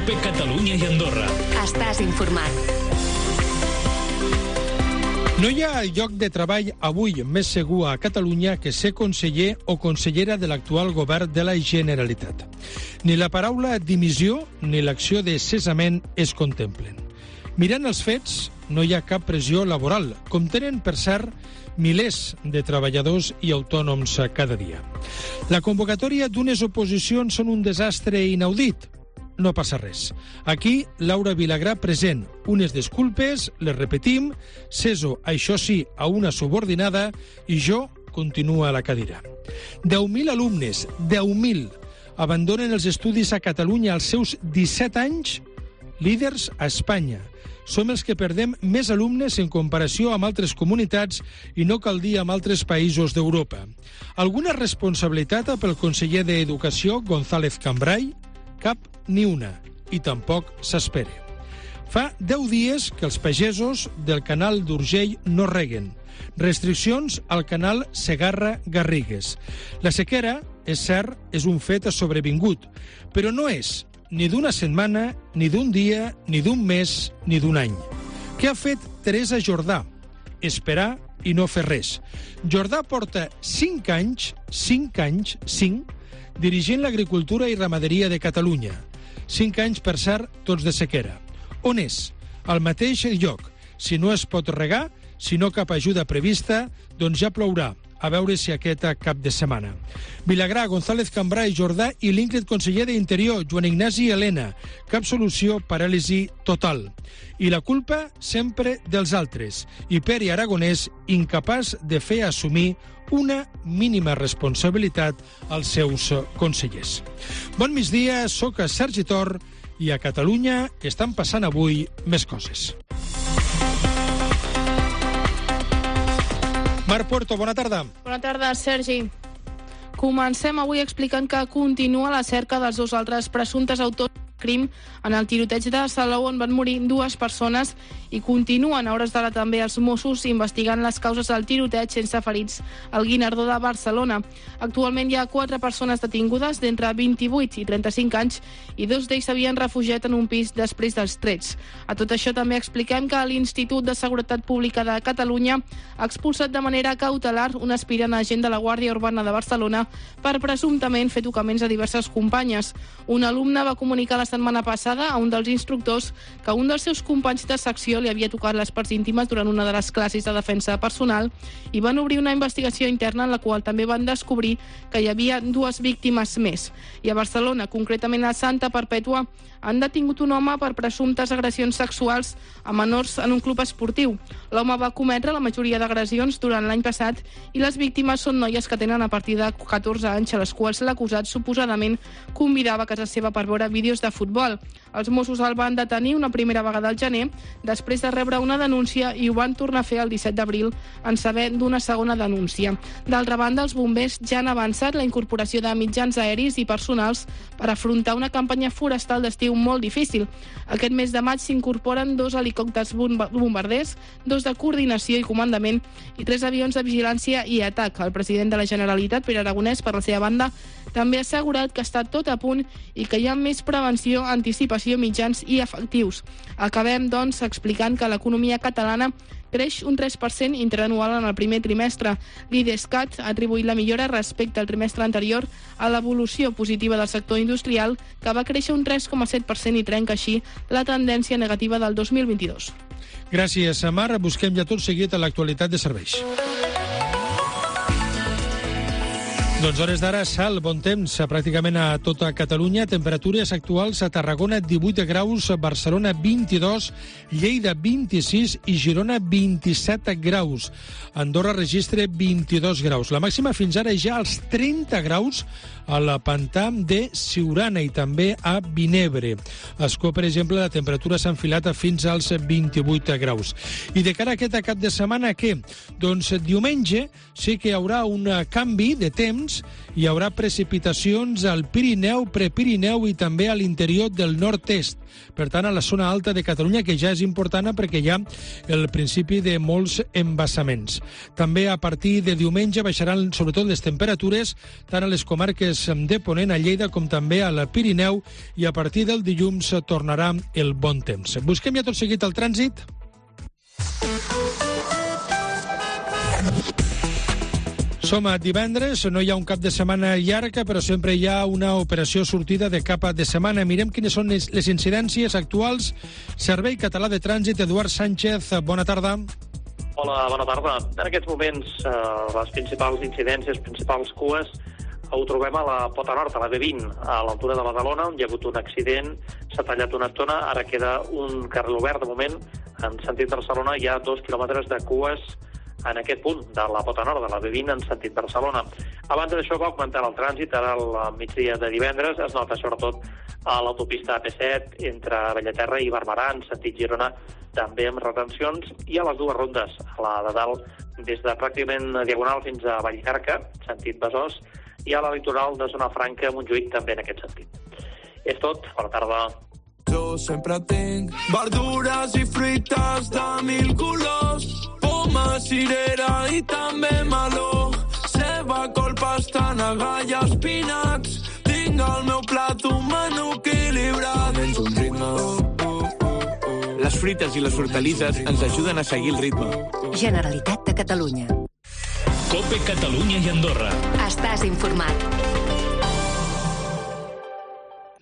COPE Catalunya i Andorra. Estàs informat. No hi ha lloc de treball avui més segur a Catalunya que ser conseller o consellera de l'actual govern de la Generalitat. Ni la paraula dimissió ni l'acció de cessament es contemplen. Mirant els fets, no hi ha cap pressió laboral, com tenen, per cert, milers de treballadors i autònoms cada dia. La convocatòria d'unes oposicions són un desastre inaudit. No passa res. Aquí, Laura Vilagrà present. Unes disculpes, les repetim, ceso, això sí, a una subordinada, i jo continuo a la cadira. 10.000 alumnes, 10.000, abandonen els estudis a Catalunya als seus 17 anys, líders a Espanya. Som els que perdem més alumnes en comparació amb altres comunitats i no cal dir amb altres països d'Europa. Alguna responsabilitat pel conseller d'Educació, González Cambray? Cap ni una, i tampoc s'espera. Fa 10 dies que els pagesos del canal d'Urgell no reguen. Restriccions al canal Segarra-Garrigues. La sequera, és cert, és un fet sobrevingut, però no és ni d'una setmana, ni d'un dia, ni d'un mes, ni d'un any. Què ha fet Teresa Jordà? Esperar i no fer res. Jordà porta 5 anys, dirigint l'agricultura i ramaderia de Catalunya. 5 anys, per cert, tots de sequera. On és? Al mateix lloc. Si no es pot regar, si no cap ajuda prevista, doncs ja plourà. A veure si aquest cap de setmana. Vilagrà, González Cambray, Jordà i l'ínclit conseller d'Interior, Joan Ignasi Elena. Cap solució, paràlisi total. I la culpa sempre dels altres. I Pere Aragonès, incapaç de fer assumir una mínima responsabilitat als seus consellers. Bon migdia, soc Sergi Tor i a Catalunya estan passant avui més coses. Marc Puerto, bona tarda. Bona tarda, Sergi. Comencem avui explicant que continua la cerca dels 2 altres presumptes autors del crim en el tiroteig de Salou, on van morir 2 persones, i continuen a hores d'ara també els Mossos investigant les causes del tiroteig sense ferits al Guinardó de Barcelona. Actualment hi ha 4 persones detingudes d'entre 28 i 35 anys i 2 d'ells s'havien refugiat en un pis després dels trets. A tot això també expliquem que l'Institut de Seguretat Pública de Catalunya ha expulsat de manera cautelar un aspirant agent de la Guàrdia Urbana de Barcelona per presumptament fer tocaments a diverses companyes. Un alumne va comunicar la setmana passada a un dels instructors que un dels seus companys de secció li havia tocat les parts íntimes durant una de les classes de defensa personal i van obrir una investigació interna en la qual també van descobrir que hi havia 2 víctimes més. I a Barcelona, concretament a Santa Perpètua, han detingut un home per presumptes agressions sexuals a menors en un club esportiu. L'home va cometre la majoria d'agressions durant l'any passat i les víctimes són noies que tenen a partir de 14 anys, a les quals l'acusat suposadament convidava a casa seva per veure vídeos de futbol. Els Mossos el van detenir una primera vegada al gener, després de rebre una denúncia, i ho van tornar a fer el 17 d'abril en saber d'una segona denúncia. D'altra banda, els bombers ja han avançat la incorporació de mitjans aeris i personals per afrontar una campanya forestal d'estiu molt difícil. Aquest mes de maig s'incorporen 2 helicòpters bombarders, 2 de coordinació i comandament i 3 avions de vigilància i atac. El president de la Generalitat, Pere Aragonès, per la seva banda, també ha assegurat que està tot a punt i que hi ha més prevenció, anticipació, mitjans i efectius. Acabem, doncs, explicant que l'economia catalana creix un 3% interanual en el primer trimestre. L'IDESCAT ha atribuït la millora respecte al trimestre anterior a l'evolució positiva del sector industrial, que va créixer un 3,7% i trenca així la tendència negativa del 2022. Gràcies, Mar. Busquem ja tot seguit a l'actualitat de serveis. Doncs hores d'ara, sal, bon temps, pràcticament a tota Catalunya. Temperatures actuals a Tarragona, 18 graus, Barcelona, 22, Lleida, 26 i Girona, 27 graus. Andorra registra 22 graus. La màxima fins ara ja als 30 graus al pantà de Siurana i també a Vinebre. A Ascó, per exemple, la temperatura s'ha enfilat fins als 28 graus. I de cara a aquest cap de setmana, què? Doncs diumenge sí que hi haurà un canvi de temps, vents, hi haurà precipitacions al Pirineu, Prepirineu i també a l'interior del nord-est. Per tant, a la zona alta de Catalunya, que ja és important perquè hi ha el principi de molts embassaments. També a partir de diumenge baixaran sobretot les temperatures, tant a les comarques de Ponent, a Lleida, com també al Pirineu, i a partir del dilluns tornarà el bon temps. Busquem ja tot seguit el trànsit. Som a divendres, no hi ha un cap de setmana llarg, però sempre hi ha una operació sortida de cap de setmana. Mirem quines són les incidències actuals. Servei Català de Trànsit, Eduard Sánchez, bona tarda. Hola, bona tarda. En aquests moments, les principals incidències, principals cues, ho trobem a la Pota Nord, a la B20, a l'altura de Badalona, on hi ha hagut un accident, s'ha tallat una estona, ara queda un carril obert. De moment, en sentit Barcelona, hi ha 2 quilòmetres de cues en aquest punt de la Pota Nord, de la B20, en sentit Barcelona. A banda d'això, va augmentar el trànsit. Ara, al migdia de divendres, es nota sobretot a l'autopista AP7, entre Bellaterra i Barberà, en sentit Girona, també amb retencions, i a les dues rondes, a la de dalt, des de pràcticament Diagonal fins a Vallcarca, sentit Besòs, i a la litoral de Zona Franca, Montjuïc, també en aquest sentit. És tot. Bona tarda. Jo sempre tinc verdures i fruites de 1000 colors, poma, cirera i també meló, ceba, col, pastanaga i espinacs. Tinc al meu plat un menú equilibrat. Menjo un ritme. Les fruites i les hortalisses ens ajuden a seguir el ritme. Generalitat de Catalunya. COPE Catalunya i Andorra. Estàs informat.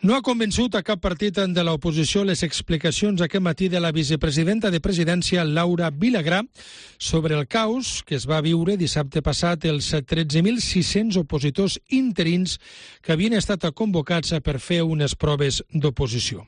No ha convençut a cap partit de l'oposició les explicacions aquest matí de la vicepresidenta de Presidència, Laura Vilagrà, sobre el caos que es va viure dissabte passat els 13.600 opositors interins que havien estat convocats per fer unes proves d'oposició.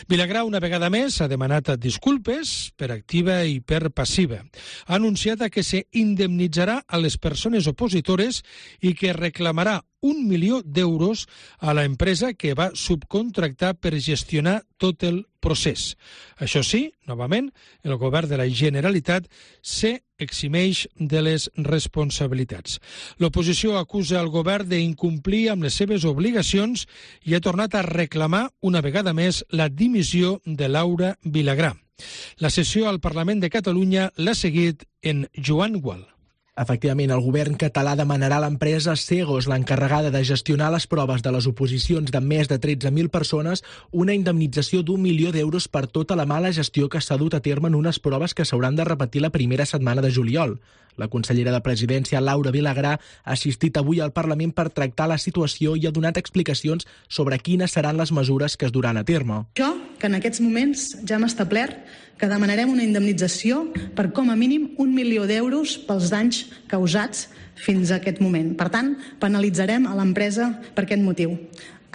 Vilagrà, una vegada més, ha demanat disculpes per activa i per passiva. Ha anunciat que se indemnitzarà a les persones opositores i que reclamarà 1 milió d'euros a la empresa que va subcontractar per gestionar tot el procés. Això sí, novament, el govern de la Generalitat s'eximeix de les responsabilitats. L'oposició acusa el govern d'incomplir amb les seves obligacions i ha tornat a reclamar una vegada més la dimissió de Laura Vilagrà. La sessió al Parlament de Catalunya l'ha seguit en Joan Gual. Efectivament, el govern català demanarà a l'empresa Segos, l'encarregada de gestionar les proves de les oposicions de més de 13.000 persones, una indemnització d'1 milió d'euros per tota la mala gestió que s'ha dut a terme en unes proves que s'hauran de repetir la primera setmana de juliol. La consellera de Presidència, Laura Vilagrà, ha assistit avui al Parlament per tractar la situació i ha donat explicacions sobre quines seran les mesures que es duran a terme. Jo, que en aquests moments ja hem establert que demanarem una indemnització per com a mínim 1 milió d'euros pels danys causats fins a aquest moment. Per tant, penalitzarem a l'empresa per aquest motiu.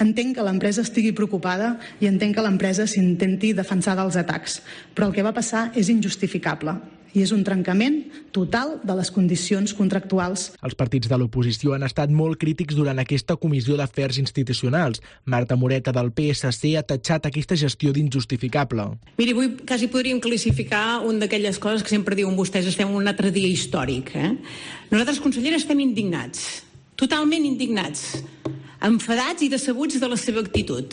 Entenc que l'empresa estigui preocupada i entenc que l'empresa s'intenti defensar dels atacs, però el que va passar és injustificable i és un trencament total de les condicions contractuals. Els partits de l'oposició han estat molt crítics durant aquesta comissió d'afers institucionals. Marta Moreta, del PSC, ha tatxat aquesta gestió d'injustificable. Miri, avui quasi podríem classificar una d'aquelles coses que sempre diuen vostès, estem en un altre dia històric. Nosaltres, consellera, estem indignats, totalment indignats, enfadats i decebuts de la seva actitud,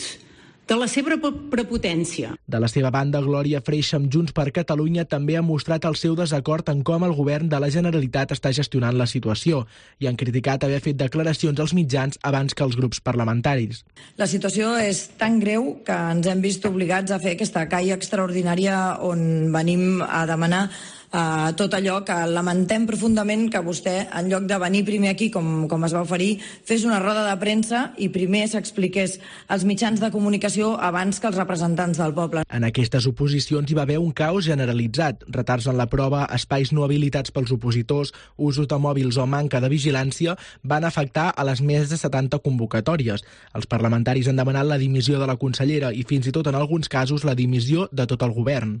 de la seva prepotència. De la seva banda, Glòria Freixa, amb Junts per Catalunya, també ha mostrat el seu desacord en com el govern de la Generalitat està gestionant la situació i han criticat haver fet declaracions als mitjans abans que els grups parlamentaris. La situació és tan greu que ens hem vist obligats a fer aquesta calla extraordinària on venim a demanar tot allò que lamentem profundament que vostè, en lloc de venir primer aquí, com es va oferir, fes una roda de premsa i primer s'expliqués als mitjans de comunicació abans que els representants del poble. En aquestes oposicions hi va haver un caos generalitzat, retards en la prova, espais no habilitats pels opositors, usos de mòbils o manca de vigilància van afectar a les més de 70 convocatòries. Els parlamentaris han demanat la dimissió de la consellera i fins i tot en alguns casos la dimissió de tot el govern.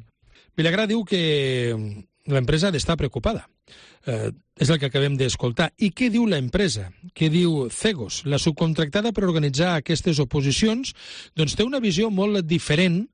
Vilagrà diu que l'empresa ha d'estar preocupada. És el que acabem d'escoltar. I què diu l'empresa? Què diu Cegos? La subcontractada per organitzar aquestes oposicions doncs té una visió molt diferent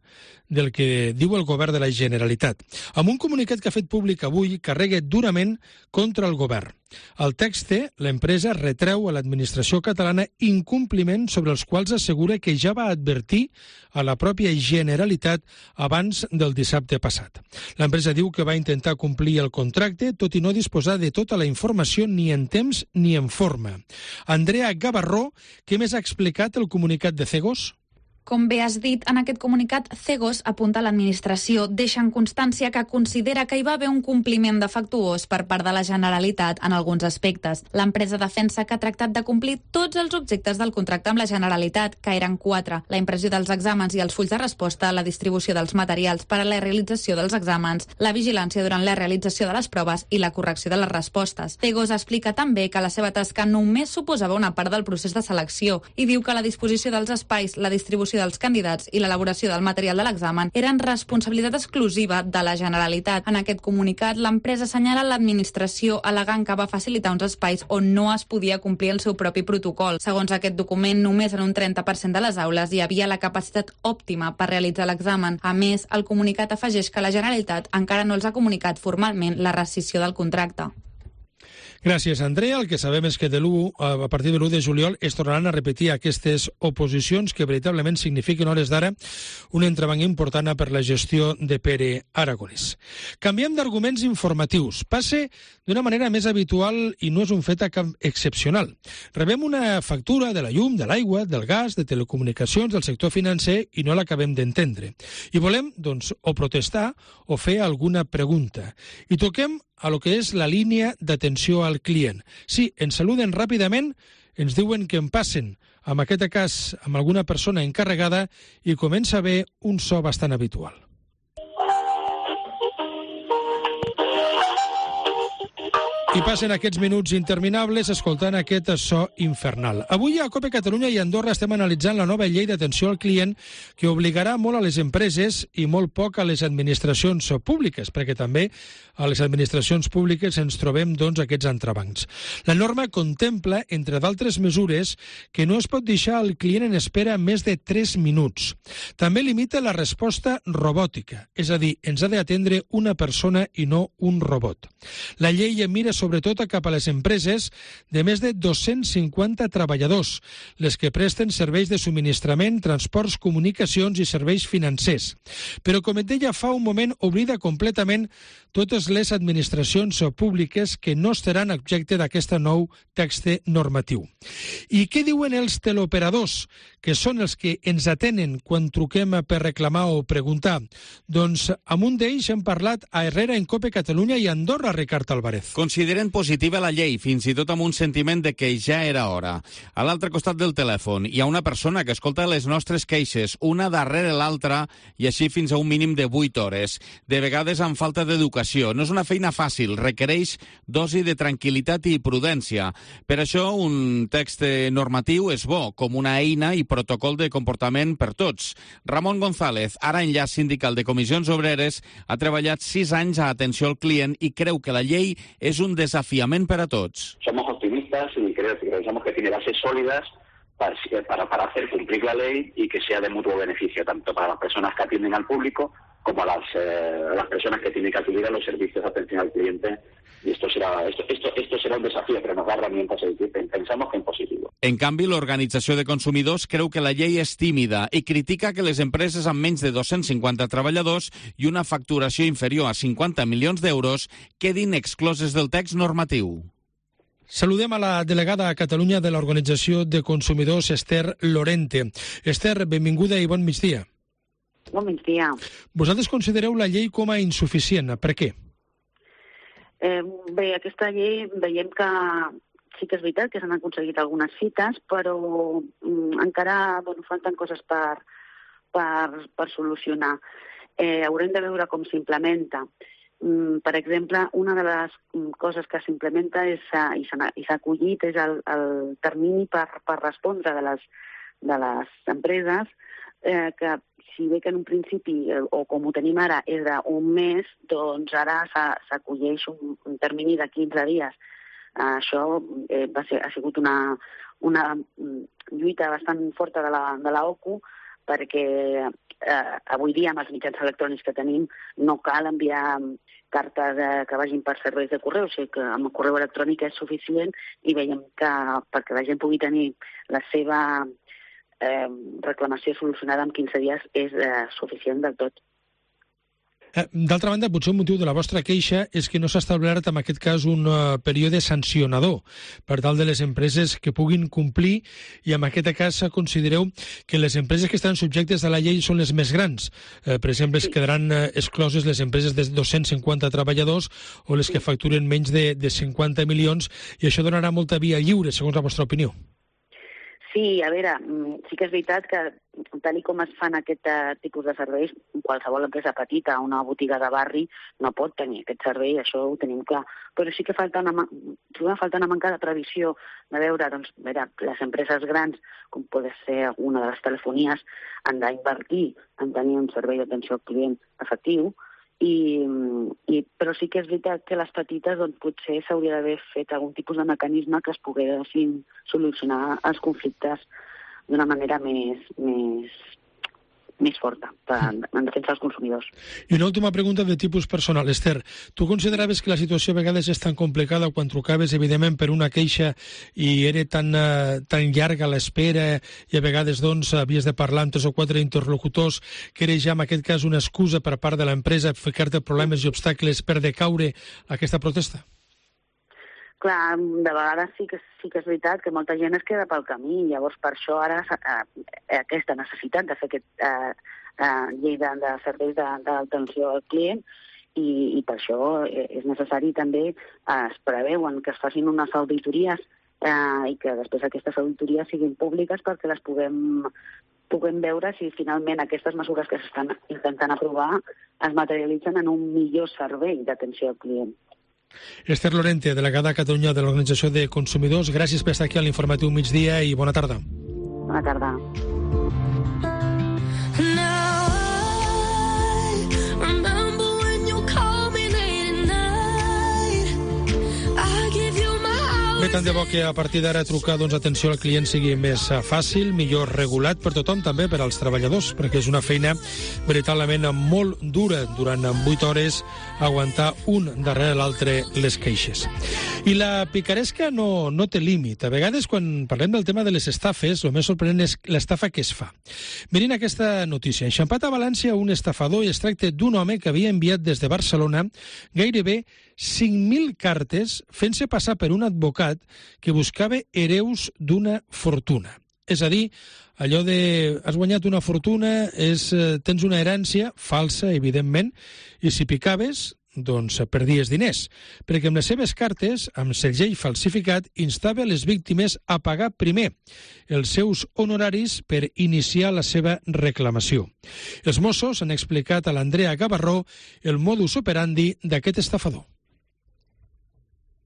del que diu el govern de la Generalitat. Amb un comunicat que ha fet públic avui, carrega durament contra el govern. Al text, l'empresa retreu a l'administració catalana incompliments sobre els quals assegura que ja va advertir a la pròpia Generalitat abans del dissabte passat. L'empresa diu que va intentar complir el contracte, tot i no disposar de tota la informació ni en temps ni en forma. Andrea Gavarró, què més ha explicat el comunicat de Cegos? Com bé has dit, en aquest comunicat, Cegos apunta a l'administració, deixa en constància que considera que hi va haver un compliment defectuós per part de la Generalitat en alguns aspectes. L'empresa defensa que ha tractat de complir tots els objectes del contracte amb la Generalitat, que eren 4: la impressió dels exàmens i els fulls de resposta, la distribució dels materials per a la realització dels exàmens, la vigilància durant la realització de les proves i la correcció de les respostes. Cegos explica també que la seva tasca només suposava una part del procés de selecció i diu que la disposició dels espais, la distribució dels candidats i l'elaboració del material de l'examen eren responsabilitat exclusiva de la Generalitat. En aquest comunicat, l'empresa assenyala l'administració al·legant que va facilitar uns espais on no es podia complir el seu propi protocol. Segons aquest document, només en un 30% de les aules hi havia la capacitat òptima per realitzar l'examen. A més, el comunicat afegeix que la Generalitat encara no els ha comunicat formalment la rescissió del contracte. Gràcies, Andrea. El que sabem és que a partir de l'1 de juliol es tornaran a repetir aquestes oposicions que veritablement signifiquen, a hores d'ara, un entrebanc important per la gestió de Pere Aragonès. Canviem d'arguments informatius. Passe d'una manera més habitual i no és un fet excepcional. Rebem una factura de la llum, de l'aigua, del gas, de telecomunicacions, del sector financer i no l'acabem d'entendre. I volem, doncs, o protestar o fer alguna pregunta. I toquem a lo que és la línia d'atenció al client. Sí, ens saluden ràpidament, ens diuen que en passen, en aquest cas amb alguna persona encarregada, i comença a haver un so bastant habitual. I passen aquests minuts interminables escoltant aquest so infernal. Avui a COPE Catalunya i Andorra estem analitzant la nova llei d'atenció al client que obligarà molt a les empreses i molt poc a les administracions públiques, perquè també a les administracions públiques ens trobem, doncs, aquests entrebancs. La norma contempla, entre d'altres mesures, que no es pot deixar el client en espera més de 3 minuts. També limita la resposta robòtica, és a dir, ens ha d'atendre una persona i no un robot. La llei mira sobretot cap a les empreses de més de 250 treballadors, les que presten serveis de subministrament, transports, comunicacions i serveis financers. Però, com et deia fa un moment, oblida completament totes les administracions públiques que no estaran objecte d'aquest nou text normatiu. I què diuen els teleoperadors, que són els que ens atenen quan truquem per reclamar o preguntar? Doncs amb un d'ells hem parlat a Herrera en COPE Catalunya i Andorra, Ricard Álvarez. Consideren positiva la llei, fins i tot amb un sentiment de que ja era hora. A l'altre costat del telèfon hi ha una persona que escolta les nostres queixes, una darrere l'altra, i així fins a un mínim de 8 hores. De vegades amb falta d'educació. No és una feina fàcil, requereix dosi de tranquil·litat i prudència. Per això un text normatiu és bo, com una eina i protocol de comportament per tots. Ramon González, ara enllaç sindical de Comissions Obreres, ha treballat 6 anys a atenció al client i creu que la llei es un desafiament para todos. Somos optimistas y pensamos que tiene bases sólidas para hacer cumplir la ley y que sea de mutuo beneficio, tanto para las personas que atienden al público como a las personas que tienen que acudir a los servicios de atención al cliente. Y esto será un desafío, pero nos da herramientas y pensamos que en positivo. En canvi, l'Organització de Consumidors creu que la llei és tímida i critica que les empreses amb menys de 250 treballadors i una facturació inferior a 50 milions d'euros quedin excloses del text normatiu. Saludem a la delegada a Catalunya de l'Organització de Consumidors, Esther Lorente. Esther, benvinguda i bon migdia. Bon migdia. Vosaltres considereu la llei com a insuficient. Per què? Bé, aquesta llei veiem que sí que és veritat que s'han aconseguit algunes fites, però encara falten coses per solucionar. Haurem de veure com s'implementa. Per exemple, una de les coses que s'implementa i s'ha acollit és el termini per respondre de les empreses, que si bé que en un principi, o com ho tenim ara, és d'un mes, doncs ara s'acolleix un termini de 15 dies. Això ha sigut una lluita bastant forta de la OCU, perquè avui dia amb els mitjans electrònics que tenim no cal enviar cartes que vagin per serveis de correu, o sigui que amb el correu electrònic és suficient i veiem que perquè la gent pugui tenir la seva reclamació solucionada en 15 dies és suficient del tot. D'altra banda, potser un motiu de la vostra queixa és que no s'ha establert en aquest cas un període sancionador per tal de les empreses que puguin complir, i en aquest cas considereu que les empreses que estan subjectes a la llei són les més grans. Per exemple, es quedaran excloses les empreses de 250 treballadors o les que facturen menys de 50 milions, i això donarà molta via lliure, segons la vostra opinió. Sí, a veure, sí que és veritat que tal com es fan aquest tipus de serveis, qualsevol empresa petita, una botiga de barri, no pot tenir aquest servei, això ho tenim clar. Però sí que falta una manca de previsió de veure, doncs, les empreses grans, com pot ser una de les telefonies, han d'invertir en tenir un servei d'atenció al client efectiu, però sí que és veritat que les petites doncs, potser s'hauria d'haver fet algun tipus de mecanisme que es poguessin solucionar els conflictes d'una manera més forta en defensa dels consumidors. I una última pregunta de tipus personal. Esther, tu consideraves que la situació a vegades és tan complicada quan trucaves, evidentment, per una queixa i era tan llarga l'espera i a vegades doncs havies de parlar amb 3 o 4 interlocutors, que era ja en aquest cas una excusa per part de l'empresa ficar-te problemes i obstacles per decaure aquesta protesta? Clar, de vegades sí que és veritat que molta gent es queda pel camí, llavors per això ara aquesta necessitat de fer aquest llei de serveis d'atenció al client, i per això és necessari també, es preveuen que es facin unes auditories i que després aquestes auditories siguin públiques perquè les puguem veure si finalment aquestes mesures que s'estan intentant aprovar es materialitzen en un millor servei d'atenció al client. Esther Lorente, delegada a Catalunya de l'Organització de Consumidors, gràcies per estar aquí a l'Informatiu Migdia i bona tarda. Bona tarda. Bé, tant de bo que a partir d'ara trucar atenció al client sigui més fàcil, millor regulat per tothom, també per als treballadors, perquè és una feina veritablement molt dura durant 8 hores aguantar un darrere l'altre les queixes. I la picaresca no té límit. A vegades, quan parlem del tema de les estafes, el més sorprenent és l'estafa que es fa. Mirin aquesta notícia. Enxampat a València un estafador, i es tracta d'un home que havia enviat des de Barcelona gairebé 5.000 cartes fent-se passar per un advocat que buscava hereus d'una fortuna. És a dir, allò de has guanyat una fortuna, tens una herència falsa, evidentment, i si picaves, doncs perdies diners, perquè amb les seves cartes, amb segell falsificat, instava les víctimes a pagar primer els seus honoraris per iniciar la seva reclamació. Els Mossos han explicat a l'Andrea Gavarró el modus operandi d'aquest estafador.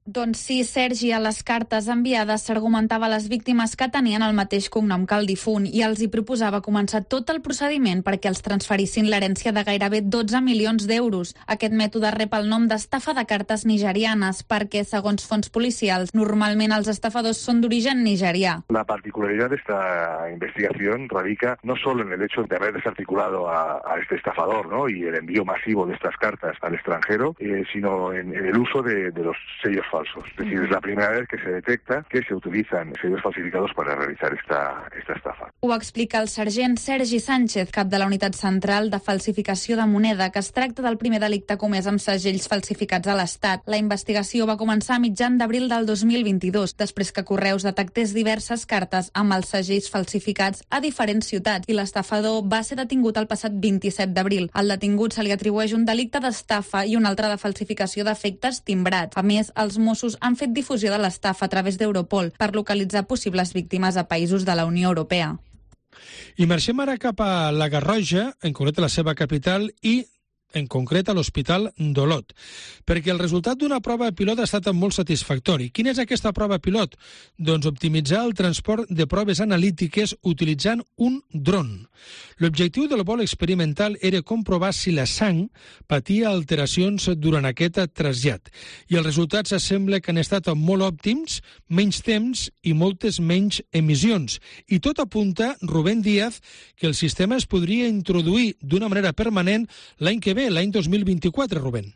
Doncs sí, Sergi, a les cartes enviades s'argumentava a les víctimes que tenien el mateix cognom que el difunt i els hi proposava començar tot el procediment perquè els transferissin l'herència de gairebé 12 milions d'euros. Aquest mètode rep el nom d'estafa de cartes nigerianes perquè, segons fonts policials, normalment els estafadors són d'origen nigerià. La particularidad de esta investigación radica no solo en el hecho de haber desarticulado a este estafador, ¿no?, y el envío masivo de estas cartas al extranjero, sino en el uso de los sellos falsos. Es decir, es la primera vez que se detecta que se utilizan sellos falsificados para realizar esta estafa. Ho explica el sergent Sergi Sánchez, cap de la Unitat Central de Falsificació de Moneda, que es tracta del primer delicte comès amb segells falsificats a l'Estat. La investigació va començar a mitjan d'abril del 2022, després que Correus detectés diverses cartes amb els segells falsificats a diferents ciutats, i l'estafador va ser detingut el passat 27 d'abril. Al detingut se li atribueix un delicte d'estafa i un altre de falsificació d'efectes timbrats. A més, els Mossos han fet difusió de l'estafa a través d'Europol per localitzar possibles víctimes a països de la Unió Europea. I marxem ara cap a la Garroja, en concret la seva capital, i en concret a l'Hospital d'Olot, perquè el resultat d'una prova pilot ha estat molt satisfactori. Quina és aquesta prova pilot? Doncs optimitzar el transport de proves analítiques utilitzant un dron. L'objectiu del vol experimental era comprovar si la sang patia alteracions durant aquest trasllat, i els resultats sembla que han estat molt òptims, menys temps i moltes menys emissions. I tot apunta, Rubén Díaz, que el sistema es podria introduir d'una manera permanent l'any que ve, l'any 2024, Rubén.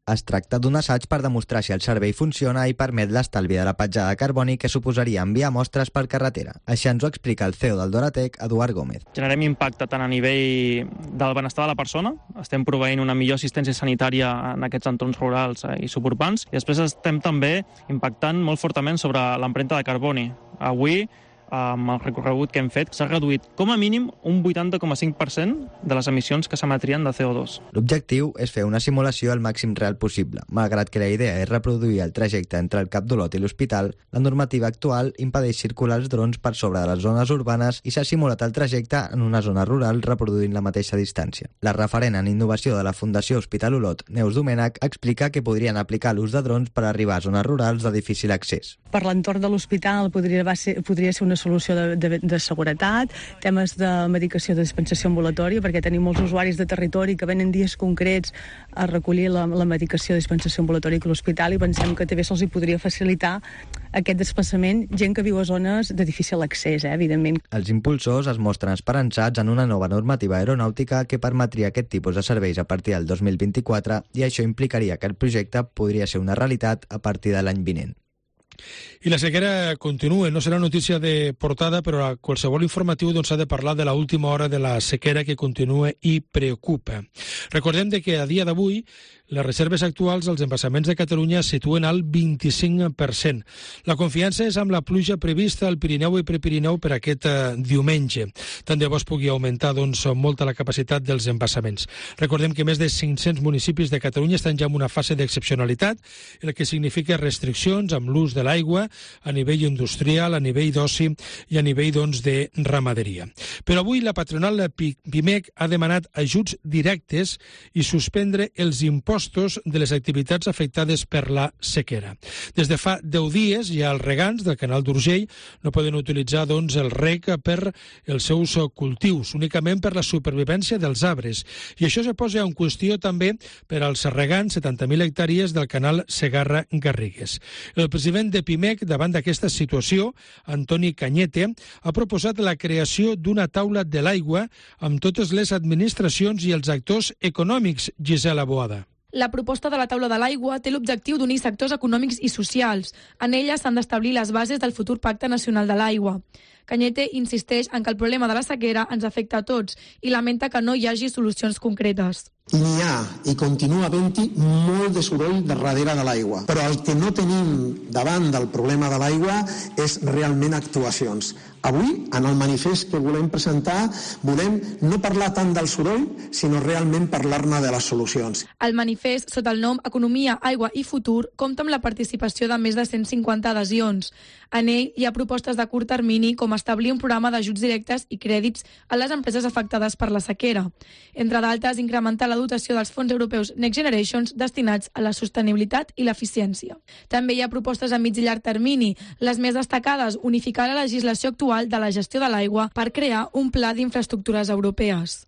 Es tracta d'un assaig per demostrar si el servei funciona i permet l'estalvi de la petjada de carboni que suposaria enviar mostres per carretera. Així ens ho explica el CEO del Doratec, Eduard Gómez. Generem impacte tant a nivell del benestar de la persona, estem proveint una millor assistència sanitària en aquests entorns rurals i suburbans, i després estem també impactant molt fortament sobre l'empremta de carboni. Avui, amb el recorregut que hem fet, s'ha reduït com a mínim un 80,5% de les emissions que s'emetrien de CO2. L'objectiu és fer una simulació al màxim real possible. Malgrat que la idea és reproduir el trajecte entre el Cap d'Olot i l'hospital, la normativa actual impedeix circular els drons per sobre de les zones urbanes i s'ha simulat el trajecte en una zona rural reproduint la mateixa distància. La referent en innovació de la Fundació Hospital Olot, Neus Domènech, explica que podrien aplicar l'ús de drons per arribar a zones rurals de difícil accés. Per l'entorn de l'hospital podria ser una solució de seguretat, temes de medicació de dispensació ambulatòria, perquè tenim molts usuaris de territori que venen dies concrets a recollir la medicació de dispensació ambulatòria a l'hospital, i pensem que també se'ls podria facilitar aquest desplaçament gent que viu a zones de difícil accés, evidentment. Els impulsors es mostren esperançats en una nova normativa aeronàutica que permetria aquest tipus de serveis a partir del 2024, i això implicaria que el projecte podria ser una realitat a partir de l'any vinent. I la sequera continua, no serà notícia de portada, però a qualsevol informatiu s'ha de parlar de l'última hora de la sequera que continua i preocupa. Recordem que a dia d'avui les reserves actuals als embassaments de Catalunya es situen al 25%. La confiança és amb la pluja prevista al Pirineu i Prepirineu per aquest diumenge. Tant de bo es pugui augmentar molt la capacitat dels embassaments. Recordem que més de 500 municipis de Catalunya estan ja en una fase d'excepcionalitat, el que significa restriccions amb l'ús de l'aigua a nivell industrial, a nivell d'oci i a nivell de ramaderia. Però avui la patronal PIMEC ha demanat ajuts directes i suspendre els impostos de les activitats afectades per la sequera. Des de fa 10 dies ja els regants del canal d'Urgell no poden utilitzar el reg per els seus cultius, únicament per la supervivència dels arbres. I això se posa en qüestió també per als regants 70.000 hectàrees del canal Segarra-Garrigues. El president de PIMEC, davant d'aquesta situació, Antoni Cañete, ha proposat la creació d'una taula de l'aigua amb totes les administracions i els actors econòmics. Gisela Boada. La proposta de la taula de l'aigua té l'objectiu d'unir sectors econòmics i socials. En ella s'han d'establir les bases del futur Pacte Nacional de l'Aigua. Cañete insisteix en que el problema de la sequera ens afecta a tots i lamenta que no hi hagi solucions concretes. N'hi ha i continua havent-hi molt de soroll darrere de l'aigua, però el que no tenim davant del problema de l'aigua és realment actuacions. Avui, en el manifest que volem presentar, volem no parlar tant del soroll, sinó realment parlar-ne de les solucions. El manifest, sota el nom Economia, Aigua i Futur, compta amb la participació de més de 150 adhesions. En ell hi ha propostes de curt termini, com establir un programa d'ajuts directes i crèdits a les empreses afectades per la sequera. Entre d'altres, incrementar la dotació dels fons europeus Next Generations destinats a la sostenibilitat i l'eficiència. També hi ha propostes a mig i llarg termini. Les més destacades, unificar la legislació actual de la gestió de l'aigua per crear un pla d'infraestructures europees.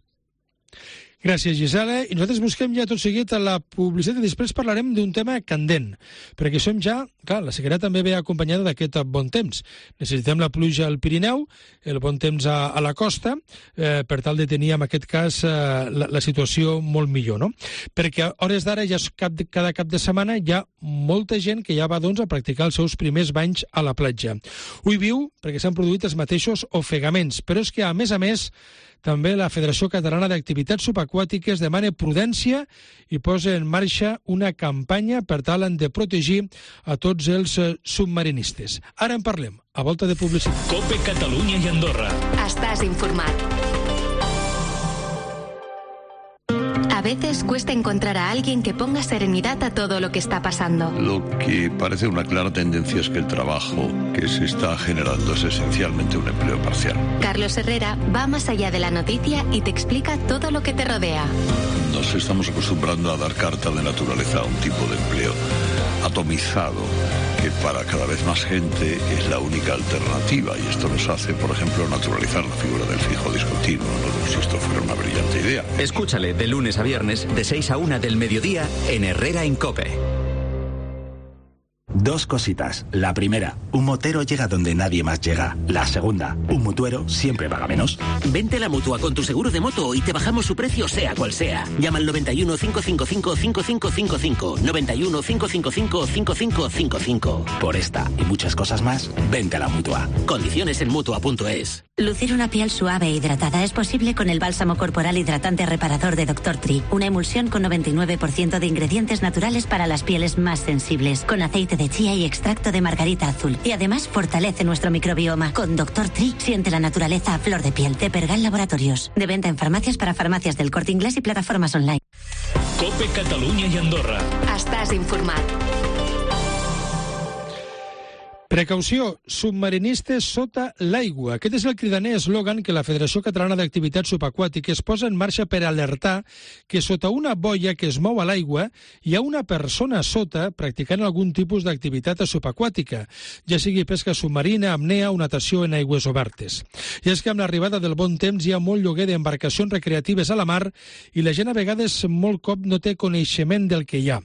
Gràcies, Gisela. I nosaltres busquem ja tot seguit a la publicitat i després parlarem d'un tema candent, perquè som ja, clar, la sequera també ve acompanyada d'aquest bon temps. Necessitem la pluja al Pirineu, el bon temps a la costa, per tal de tenir, en aquest cas, la situació molt millor, no? Perquè a hores d'ara, ja cada cap de setmana, hi ha molta gent que ja va a practicar els seus primers banys a la platja. Ho hi viu perquè s'han produït els mateixos ofegaments, però és que, a més, també la Federació Catalana d'Activitats Subaquàtiques demana prudència i posa en marxa una campanya per tal de protegir a tots els submarinistes. Ara en parlem, a volta de publicitat. COPE Catalunya i Andorra. Estàs informat. A veces cuesta encontrar a alguien que ponga serenidad a todo lo que está pasando. Lo que parece una clara tendencia es que el trabajo que se está generando es esencialmente un empleo parcial. Carlos Herrera va más allá de la noticia y te explica todo lo que te rodea. Nos estamos acostumbrando a dar carta de naturaleza a un tipo de empleo atomizado que para cada vez más gente es la única alternativa, y esto nos hace, por ejemplo, naturalizar la figura del fijo discontinuo, ¿no? Como si esto fuera una brillante idea. Escúchale de lunes a viernes de 6 a 1 del mediodía en Herrera en COPE. Dos cositas. La primera, un motero llega donde nadie más llega. La segunda, un mutuero siempre paga menos. Vente a la Mutua con tu seguro de moto y te bajamos su precio sea cual sea. Llama al 91 555 5555. 91 555 5555. Por esta y muchas cosas más, vente a la Mutua. Condiciones en Mutua.es. Lucir una piel suave e hidratada es posible con el bálsamo corporal hidratante reparador de Dr. Tree. Una emulsión con 99% de ingredientes naturales para las pieles más sensibles. Con aceite de chía y extracto de margarita azul. Y además fortalece nuestro microbioma. Con Dr. Tree siente la naturaleza a flor de piel. De Pergal Laboratorios. De venta en farmacias para farmacias del Corte Inglés i plataformes online. COPE Catalunya i Andorra. Estàs informat. Precaució, submarinistes sota l'aigua. Aquest és el cridaner eslògan que la Federació Catalana d'Activitats Subaquàtiques posa en marxa per alertar que sota una boia que es mou a l'aigua hi ha una persona sota practicant algun tipus d'activitat subaquàtica, ja sigui pesca submarina, apnea o natació en aigües obertes. I és que amb l'arribada del bon temps hi ha molt lloguer d'embarcacions recreatives a la mar i la gent a vegades molt cop no té coneixement del que hi ha.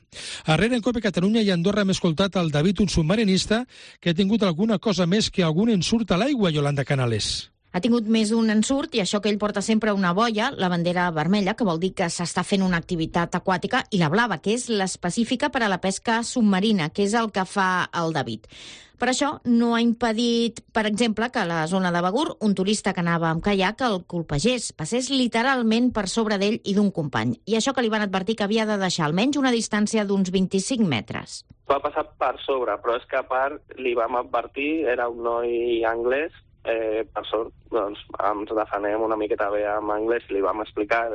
Arrere en COPE Catalunya i Andorra hem escoltat al David, un submarinista, que ha tingut alguna cosa més que algun ensurt a l'aigua, Yolanda Canales. Ha tingut més d'un ensurt i això que ell porta sempre una boia, la bandera vermella, que vol dir que s'està fent una activitat aquàtica, i la blava, que és l'específica per a la pesca submarina, que és el que fa el David. Per això no ha impedit, per exemple, que a la zona de Begur un turista que anava amb caiac el colpegés, passés literalment per sobre d'ell i d'un company. I això que li van advertir que havia de deixar almenys una distància d'uns 25 metres. Va passar per sobre, però és que a part li vam advertir, era un noi anglès, per sort, doncs ens defenem una miqueta bé amb anglès i li vam explicar,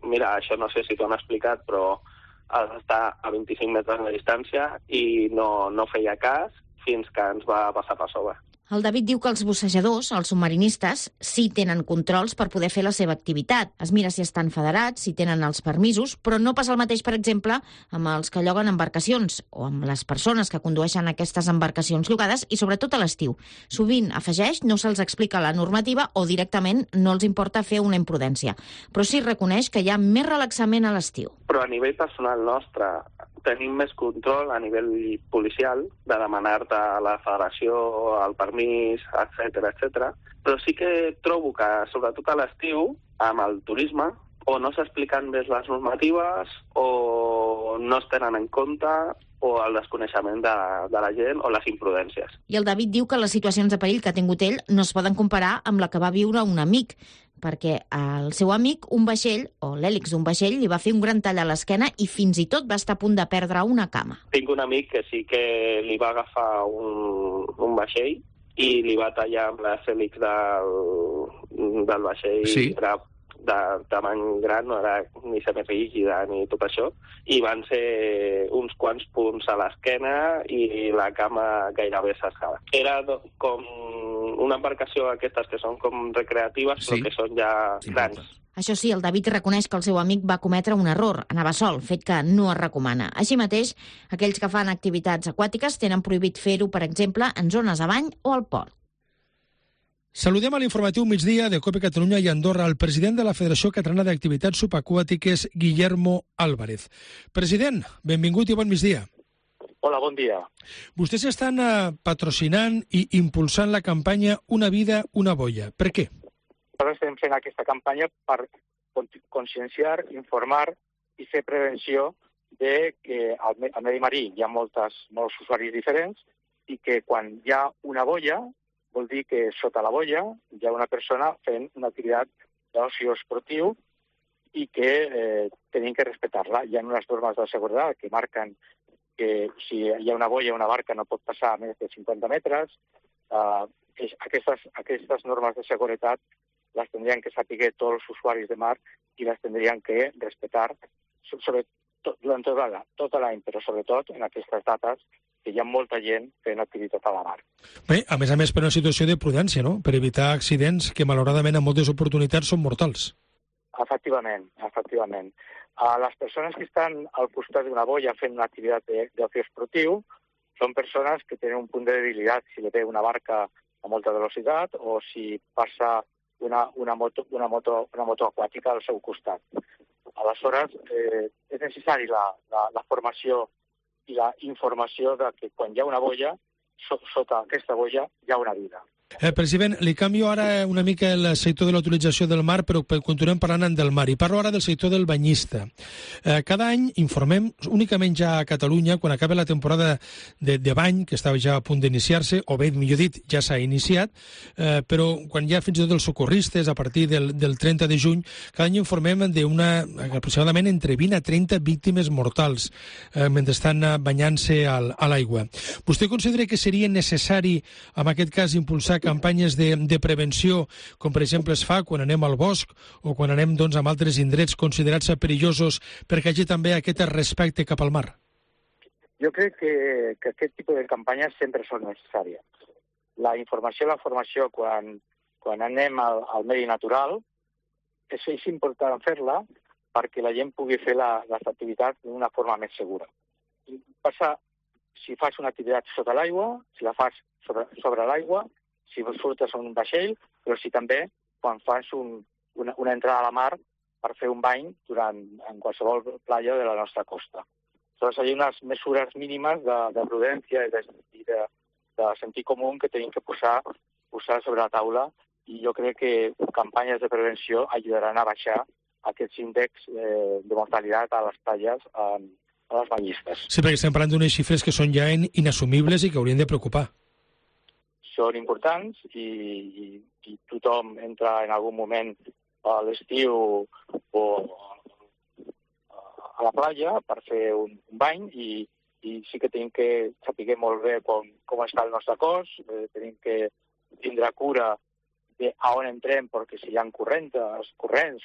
mira, això no sé si t'ho han explicat, però has d'estar a 25 metres de distància, i no feia cas fins que ens va passar per sobre. El David diu que els bussejadors, els submarinistes, sí tenen controls per poder fer la seva activitat. Es mira si estan federats, si tenen els permisos, però no passa el mateix, per exemple, amb els que lloguen embarcacions o amb les persones que condueixen aquestes embarcacions llogades, i sobretot a l'estiu. Sovint, afegeix, no se'ls explica la normativa o directament no els importa fer una imprudència. Però sí reconeix que hi ha més relaxament a l'estiu. Però a nivell personal nostre tenim més control a nivell policial de demanar-te a la federació el permís, etc. Però sí que trobo que, sobretot a l'estiu, amb el turisme, o no s'expliquen bé les normatives, o no es tenen en compte, o el desconeixement de la gent, o les imprudències. I el David diu que les situacions de perill que ha tingut ell no es poden comparar amb la que va viure un amic, perquè al seu amic un vaixell, o l'hèlix d'un vaixell, li va fer un gran tall a l'esquena i fins i tot va estar a punt de perdre una cama. Tinc un amic que sí que li va agafar un vaixell i li va tallar amb les hèlix del vaixell. Sí. Era de tamany gran, no era ni semirígida ni tot això, i van ser uns quants punts a l'esquena i la cama gairebé s'escava. Era com una embarcació aquestes que són com recreatives, però que són ja grans. Això sí, el David reconeix que el seu amic va cometre un error, anava sol, fet que no es recomana. Així mateix, aquells que fan activitats aquàtiques tenen prohibit fer-ho, per exemple, en zones a bany o al port. Saludem a l'informatiu migdia de COPE Catalunya i Andorra el president de la Federació Catalana d'Activitats Subaquàtiques, Guillermo Álvarez. President, benvingut i bon migdia. Hola, bon dia. Vostès estan patrocinant i impulsant la campanya Una vida, una boia. Per què? Nosaltres estem fent aquesta campanya per conscienciar, informar i fer prevenció de que al medi marí hi ha molts usuaris diferents i que quan hi ha una boia vol dir que sota la boia hi ha una persona fent una activitat d'oci esportiu i que tenim que respectar-la. Hi ha unes normes de seguretat que marquen que si hi ha una boia, una barca no pot passar a més de 50 metres. Aquestes normes de seguretat las tendrían que saber todos los usuarios de mar y las tendrían que respetar durant tot l'any, però sobretot en aquestes dates que hi ha molta gent fent activitat a la mar. Bé, a més, per una situació de prudència, no?, per evitar accidents que malauradament en moltes oportunitats són mortals. Efectivament. Les persones que estan al costat d'una boia fent una activitat d'oci esportiu són persones que tenen un punt de debilitat si li ve una barca a molta velocitat o si passa una moto aquàtica al seu costat. Aleshores, és necessari la formació i la informació de que quan hi ha una boia, sota aquesta boia hi ha una vida. President, li canvio ara una mica el sector de la utilització del mar, però continuem parlant del mar. I parlo ara del sector del banyista. Cada any informem, únicament ja a Catalunya, quan acaba la temporada de bany, que estava ja a punt d'iniciar-se, o bé, millor dit, ja s'ha iniciat, però quan hi ha fins i tot els socorristes, a partir del 30 de juny, cada any informem aproximadament entre 20 a 30 víctimes mortals mentre estan banyant-se a l'aigua. Vostè considera que seria necessari, en aquest cas, impulsar campanyes de prevenció, com per exemple es fa quan anem al bosc o quan anem a altres indrets considerats perillosos, perquè hi hagi també aquest respecte cap al mar? Jo crec que aquest tipus de campanyes sempre són necessàries. La informació i la formació quan anem al medi natural és important fer-la perquè la gent pugui fer les activitats d'una forma més segura. Passa si fas una activitat sota l'aigua, si la fas sobre l'aigua, si surtes en un vaixell, però si també quan fas una entrada a la mar per fer un bany en qualsevol platja de la nostra costa. Aleshores, hi ha unes mesures mínimes de prudència i de sentit comú que tenim que posar sobre la taula i jo crec que campanyes de prevenció ajudaran a baixar aquests índexs de mortalitat a les platges a les banyistes. Sí, perquè estem parlant d'unes xifres que són ja inassumibles i que haurien de preocupar. Són importants i tothom entra en algun moment a l'estiu o a la platja per fer un bany i sí que tenim que saber molt bé com està el nostre cos, tenim que tindre cura d'on entrem perquè si hi ha corrents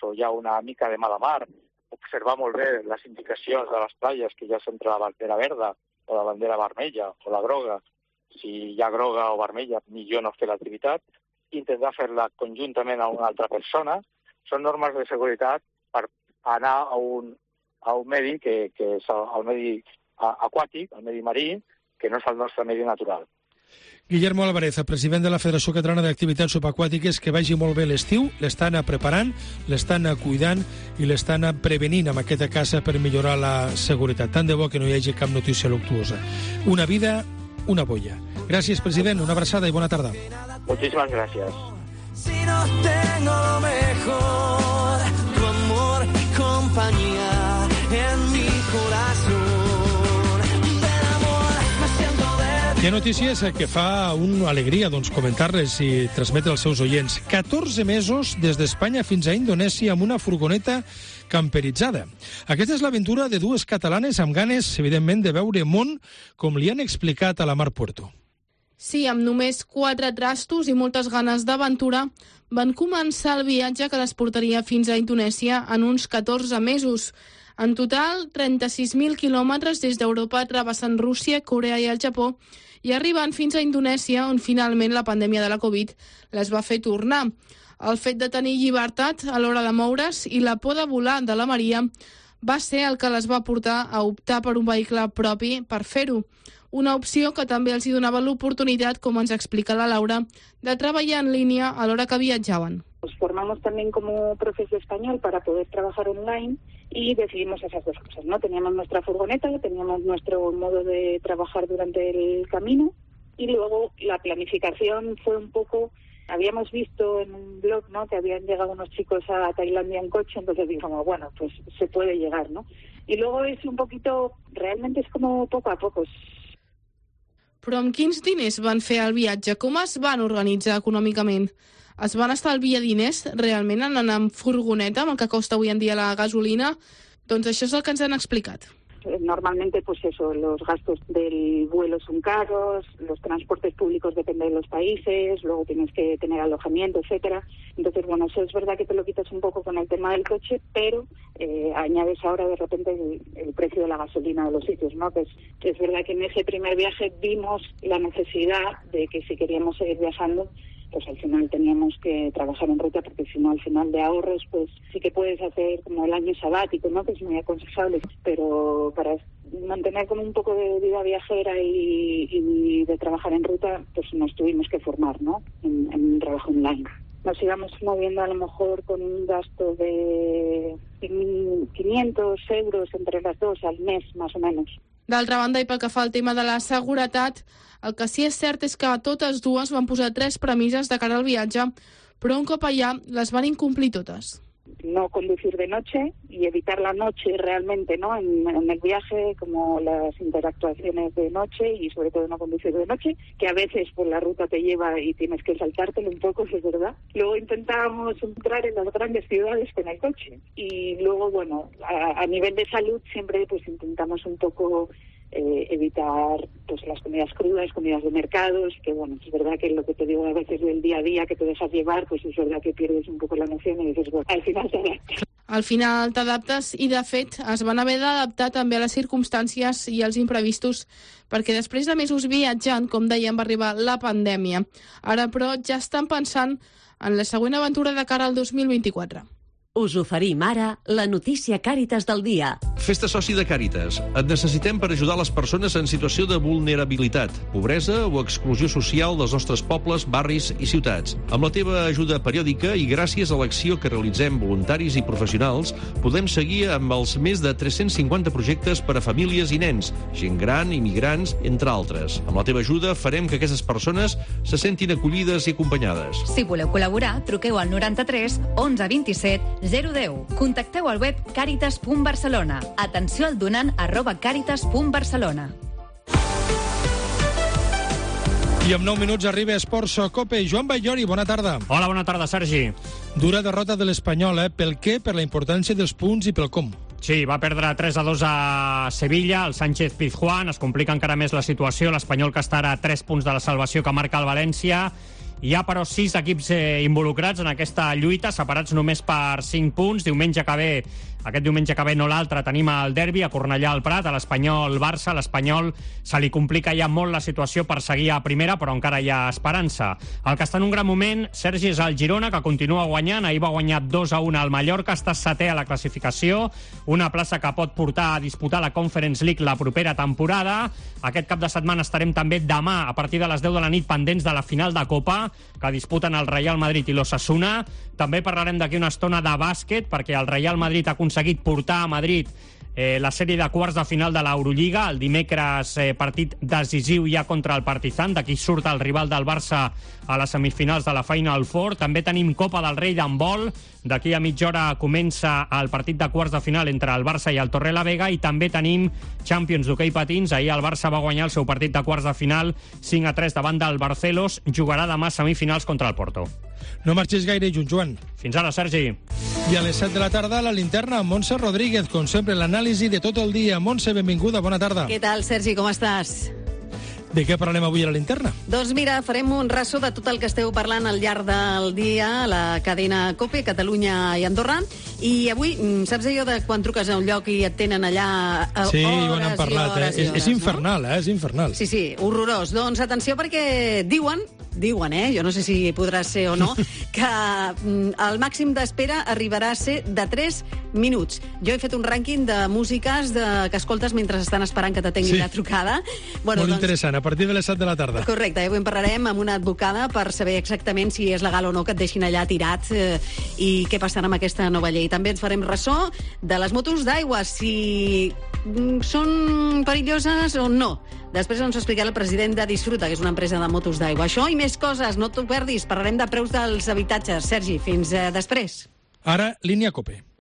o hi ha una mica de mala mar, observar molt bé les indicacions de les platges que ja sempre la bandera verda o la bandera vermella o la groga. Si hi ha groga o vermella, millor no fer l'activitat, intentar fer-la conjuntament a una altra persona. Són normes de seguretat per anar a un medi que és el medi aquàtic, el medi marí, que no és el nostre medi natural. Guillermo Álvarez, president de la Federació Catalana d'Activitats Subaquàtiques, que vagi molt bé l'estiu, l'estan preparant, l'estan cuidant i l'estan prevenint amb aquesta casa per millorar la seguretat. Tant de bo que no hi hagi cap notícia luctuosa. Una vida, una boya. Gràcies, president, una abraçada i bona tarda. Muchísimas gracias. Si no tengo lo mejor, tu amor y compañía en mi corazón. Del amor me siento de... Hi ha notícies que fa una alegria comentar-les i transmetre als seus oients. 14 mesos des d'Espanya fins a Indonèsia amb una furgoneta camperitzada. Aquesta és l'aventura de dues catalanes amb ganes, evidentment, de veure món, com li han explicat a la Mar Puerto. Sí, amb només 4 trastos i moltes ganes d'aventura, van començar el viatge que les portaria fins a Indonèsia en uns 14 mesos. En total, 36.000 quilòmetres des d'Europa travessant Rússia, Corea i el Japó i arribant fins a Indonèsia, on finalment la pandèmia de la Covid les va fer tornar. El fet de tenir llibertat a l'hora de moure's i la por de volar de la Maria va ser el que les va portar a optar per un vehicle propi per fer-ho. Una opció que també els donava l'oportunidad, como ens explica la Laura, de trabajar en línea a la hora que viajaban. Nos formamos también como profesor español para poder trabajar online y decidimos esas dos cosas, ¿no? Teníamos nuestra furgoneta, teníamos nuestro modo de trabajar durante el camino y luego la planificación fue un poco... Habíamos visto en un blog, ¿no?, que habían llegado unos chicos a Tailandia en coche, entonces dijimos, bueno, pues se puede llegar, ¿no? Y luego es un poquito, realmente es como poco a poco. Però amb quins diners van fer el viatge? Com es van organitzar econòmicament? Es van estalviar diners realment en anar amb furgoneta, amb el que costa avui en dia la gasolina? Doncs això és el que ens han explicat. Normalmente, pues eso, los gastos del vuelo son caros, los transportes públicos dependen de los países, luego tienes que tener alojamiento, etcétera. Entonces, bueno, eso es verdad que te lo quitas un poco con el tema del coche, pero añades ahora de repente el precio de la gasolina de los sitios, ¿no? Pues es verdad que en ese primer viaje vimos la necesidad de que si queríamos seguir viajando, pues al final teníamos que trabajar en ruta, porque si no, al final de ahorros, pues sí que puedes hacer como el año sabático, ¿no? Que es muy aconsejable, pero para mantener como un poco de vida viajera y de trabajar en ruta, pues nos tuvimos que formar, ¿no? En un trabajo online. Nos íbamos moviendo a lo mejor con un gasto de 500 euros entre las dos al mes, más o menos. D'altra banda, i pel que fa al tema de la seguretat, el que sí és cert és que totes dues van posar 3 premisses de cara al viatge, però un cop allà les van incomplir totes. No conducir de noche y evitar la noche realmente, ¿no? En el viaje, como las interactuaciones de noche y sobre todo no conducir de noche, que a veces por la ruta te lleva y tienes que saltártelo un poco, es verdad. Luego intentábamos entrar en las grandes ciudades con el coche y luego, bueno, a nivel de salud siempre pues intentamos un poco evitar pues las comidas crudas, comidas de mercados, que bueno, es verdad que lo que te digo a veces del día a día que te dejas llevar, pues es verdad que pierdes un poco la noción y dices, bueno, al final t'adaptes. Al final t'adaptes i, de fet, es van haver d'adaptar també a les circumstàncies i als imprevistos, perquè després de mesos viatjant, com dèiem, va arribar la pandèmia. Ara, però, ja estan pensant en la següent aventura de cara al 2024. Us oferim ara la notícia Càritas del dia. Fes-te soci de Càritas. Et necessitem per ajudar les persones en situació de vulnerabilitat, pobresa o exclusió social dels nostres pobles, barris i ciutats. Amb la teva ajuda periòdica i gràcies a l'acció que realitzem voluntaris i professionals, podem seguir amb els més de 350 projectes per a famílies i nens, gent gran, immigrants, entre altres. Amb la teva ajuda farem que aquestes persones se sentin acollides i acompanyades. Si voleu col·laborar, truqueu al 93 11 27 010. Contacteu al web caritas.barcelona. Atenció al donant @caritas.barcelona. I amb 9 minuts arriba Esports Cope. Joan Ballori, bona tarda. Hola, bona tarda, Sergi. Dura derrota de l'Espanyol, pel què? Per la importància dels punts i pel com. Sí, va perdre 3-2 a Sevilla, el Sánchez Pizjuán, es complica encara més la situació, l'Espanyol que estarà a 3 punts de la salvació que marca el València. Hi ha, però, 6 equips involucrats en aquesta lluita, separats només per 5 punts. Aquest diumenge que ve, no l'altre, tenim el derbi a Cornellà al Prat, a l'Espanyol-Barça. L'Espanyol se li complica ja molt la situació per seguir a primera, però encara hi ha esperança. El que està en un gran moment, Sergi, és el Girona, que continua guanyant. Ahir va guanyar 2-1 al Mallorca, està setè a la classificació, una plaça que pot portar a disputar la Conference League la propera temporada. Aquest cap de setmana estarem també demà, a partir de les 10 de la nit, pendents de la final de Copa, que disputen el Real Madrid i l'Osasuna. També parlarem d'aquí una estona de bàsquet, perquè el Real Madrid ha aconseguit portar a Madrid la sèrie de quarts de final de l'Eurolliga. El dimecres partit decisiu ja contra el Partizan, d'aquí surt el rival del Barça a les semifinals de la Final Four. També tenim Copa del Rei d'handbol. D'aquí a mitja hora comença el partit de quarts de final entre el Barça i el Torrelavega, i també tenim Champions d'hoquei patins. Ahir el Barça va guanyar el seu partit de quarts de final 5-3 davant del Barcelos. Jugarà demà semifinals contra el Porto. No marxis gaire, Joan. Fins ara, Sergi. I a les 7 de la tarda, la linterna, Montse Rodríguez, com sempre, l'anàlisi de tot el dia. Montse, benvinguda, bona tarda. Què tal, Sergi, com estàs? De què parlem avui a la linterna? Doncs mira, farem un ressò de tot el que esteu parlant al llarg del dia a la cadena COPE, Catalunya i Andorra. I avui, saps allò de quan truques a un lloc i et tenen allà sí, hores ho han parlat, i hores i hores, és infernal, no? És infernal. Sí, sí, horrorós. Doncs atenció, perquè diuen, jo no sé si podrà ser o no, que el màxim d'espera arribarà a ser de 3 minuts. Jo he fet un rànquing de músiques que escoltes mentre estan esperant que t'atengui la trucada. Bueno, molt interessant, a partir de les 7 de la tarda. Correcte, avui en parlarem amb una advocada per saber exactament si és legal o no que et deixin allà tirat i què passarà amb aquesta nova llei. També ens farem ressò de les motos d'aigua, si són perilloses o no. Després ens ho explicarà el president de Disfruta, que és una empresa de motos d'aigua. Això i més coses, no t'ho perdis. Parlarem de preus dels habitatges. Sergi, fins després. Ara, línia COPE.